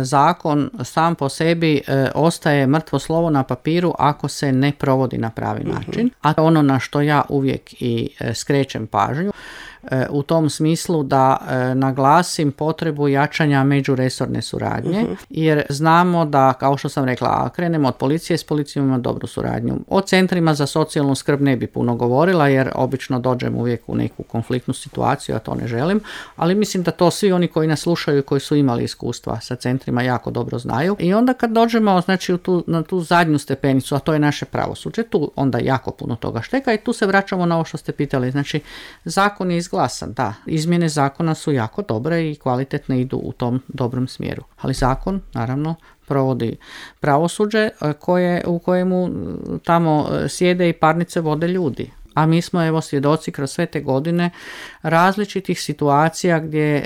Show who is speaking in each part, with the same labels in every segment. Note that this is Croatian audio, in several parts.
Speaker 1: Zakon sam po sebi ostaje mrtvo slovo na papiru ako se ne provodi na pravi način, a ono na što ja uvijek i skrećem pažnju u tom smislu da naglasim potrebu jačanja međuresorne suradnje, jer znamo da, kao što sam rekla, krenemo od policije, s policijom ima dobru suradnju. O centrima za socijalnu skrb ne bi puno govorila, jer obično dođem uvijek u neku konfliktnu situaciju, a to ne želim, ali mislim da to svi oni koji nas slušaju i koji su imali iskustva sa centrima jako dobro znaju. I onda kad dođemo, znači, na tu zadnju stepenicu, a to je naše pravosuđe, tu onda jako puno toga šteka i tu se vraćamo na ovo što ste pitali. Znači, zakon je izglasan, da, izmjene zakona su jako dobre i kvalitetne, idu u tom dobrom smjeru. Ali zakon, naravno, provodi pravosuđe u kojemu tamo sjede i parnice vode ljudi. A mi smo evo svjedoci kroz sve te godine različitih situacija gdje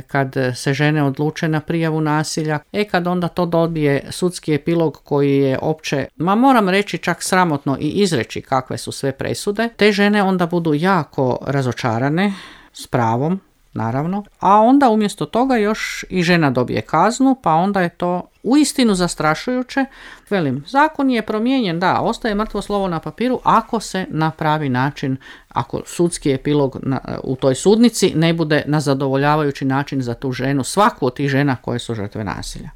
Speaker 1: kad se žene odluče na prijavu nasilja, kad onda to dobije sudski epilog koji je opće, moram reći čak sramotno i izreći kakve su sve presude, te žene onda budu jako razočarane, s pravom, naravno, a onda umjesto toga još i žena dobije kaznu, pa onda je to uistinu zastrašujuće. Velim, zakon je promijenjen, da, ostaje mrtvo slovo na papiru ako se na pravi način, ako sudski epilog u toj sudnici ne bude na zadovoljavajući način za tu ženu, svaku od tih žena koje su žrtve nasilja.